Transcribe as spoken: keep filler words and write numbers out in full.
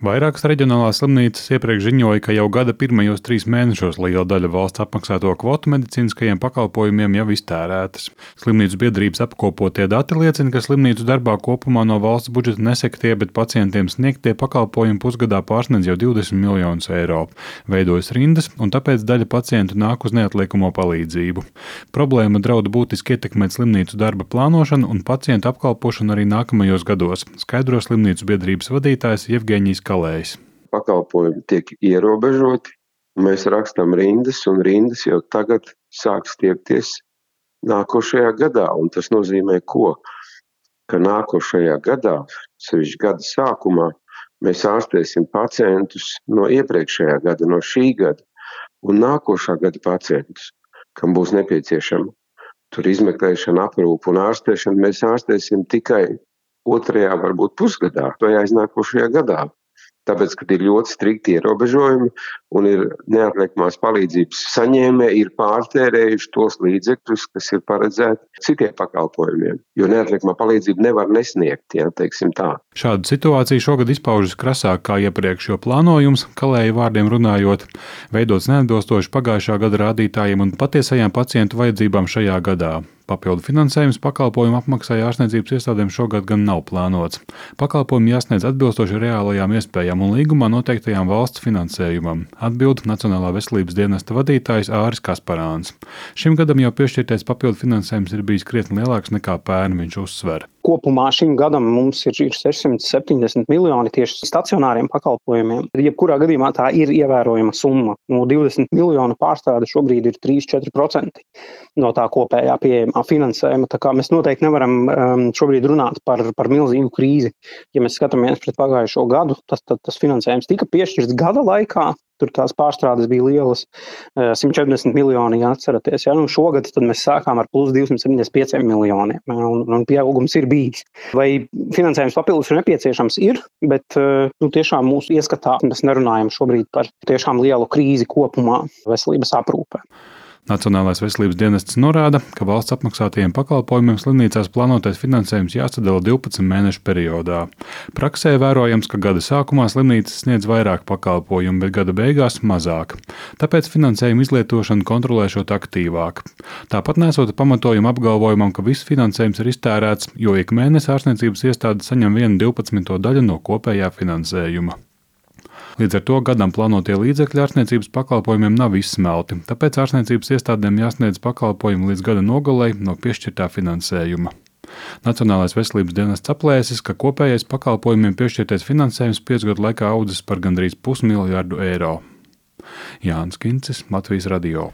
Vairākas reģionālās slimnīcas iepriekš ziņoja, ka jau gada pirmajos trīs mēnešos liela daļa valsts apmaksāto kvotu medicīniskajiem pakalpojumiem jau iztērētas. Slimnīcu biedrības apkopotie dati liecina, ka slimnīcu darbā kopumā no valsts budžeta nesektie, bet pacientiem sniegtie pakalpojumi pusgadā pārsniedz jau divdesmit miljonus eiro. Veidojas rindas, un tāpēc daļa pacientu nāk uz neatliekamo palīdzību. Problēma draud būtiski ietekmēt slimnīcu darba plānošanu un pacientu apkalpošanu arī nākamajos gados, skaidro slimnīcu biedrības vadītājs Jevgeņijs Kalējs. Pakalpojumi tiek ierobežoti, mēs rakstam rindas, un rindas jau tagad sāk stiepties nākošajā gadā. Un tas nozīmē ko? Ka nākošajā gadā, sevišķi gada sākumā, mēs ārstēsim pacientus no iepriekšējā gada, no šī gada, un nākošā gada pacientus, kam būs nepieciešama tur izmeklēšana, aprūpe un ārstēšana, mēs ārstēsim tikai otrajā, varbūt pusgadā vai aiznākošajā gadā. Tāpēc, kad ir ļoti strikti ierobežojumi un ir neatliekamās palīdzības saņēmēji, ir pārtērējuši tos līdzekļus, kas ir paredzēti citiem pakalpojumiem, jo neatliekamā palīdzība nevar nesniegt, ja, teiksim tā. Šāda situācija šogad izpaužas krasāk kā iepriekš, jo plānojums, Kalēja vārdiem runājot, veidots neatbilstoši pagājušā gada rādītājiem un patiesajām pacientu vajadzībām šajā gadā. Papildu finansējums pakalpojumu apmaksai ārstniecības iestādēm šogad gan nav plānots. Pakalpojumi jāsniedz atbilstoši reālajām iespējām un līgumā noteiktajām valsts finansējumam, atbild Nacionālā veselības dienesta vadītājs Āris Kasparāns. Šim gadam jau piešķirtais papildu finansējums ir bijis krietni lielāks nekā pērn, viņš uzsver. Kopumā šim gadam mums ir sešsimt septiņdesmit miljoni tieši stacionāriem pakalpojumiem. Jebkurā gadījumā tā ir ievērojama summa. No divdesmit miljonu pārstrāde šobrīd ir trīs līdz četri procenti no tā kopējā pieejamā finansējuma. Tā kā mēs noteikti nevaram um, šobrīd runāt par, par milzīgu krīzi. Ja mēs skatāmies pret pagājušo gadu, tas, tas, tas finansējums tika piešķirts gada laikā. Tur tās pārstrādes bija lielas, simt četrdesmit miljoni, ja atceraties. Ja? Nu, šogad tad mēs sākām ar plus divsimt septiņdesmit pieciem miljoniem, un, un pieaugums ir bijis. Vai finansējums papildus ir nepieciešams? Ir, bet nu, tiešām mūsu ieskatā mēs nerunājam šobrīd par tiešām lielu krīzi kopumā veselības aprūpē. Nacionālais veselības dienests norāda, ka valsts apmaksātajiem pakalpojumiem slimnīcās plānotais finansējums jāsadala divpadsmit mēnešu periodā. Praksē vērojams, ka gada sākumā slimnīcas sniedz vairāk pakalpojumu, bet gada beigās mazāk. Tāpēc finansējumu izlietošanu kontrolēšot aktīvāk. Tāpat nesot pamatojumu apgalvojumam, ka viss finansējums ir iztērēts, jo ik mēnesi ārstniecības iestāde saņem vienu divpadsmito daļu no kopējā finansējuma. Līdz ar to gadam plānotie līdzekļi ārstniecības pakalpojumiem nav izsmelti, tāpēc ārstniecības iestādēm jāsniedz pakalpojumi līdz gada nogalei no piešķirtā finansējuma. Nacionālais veselības dienests aplēsis, ka kopējais pakalpojumiem piešķirtais finansējums piecu gadu laikā audzis par gandrīz pusmiljardu eiro. Jānis Kincis, Latvijas radio.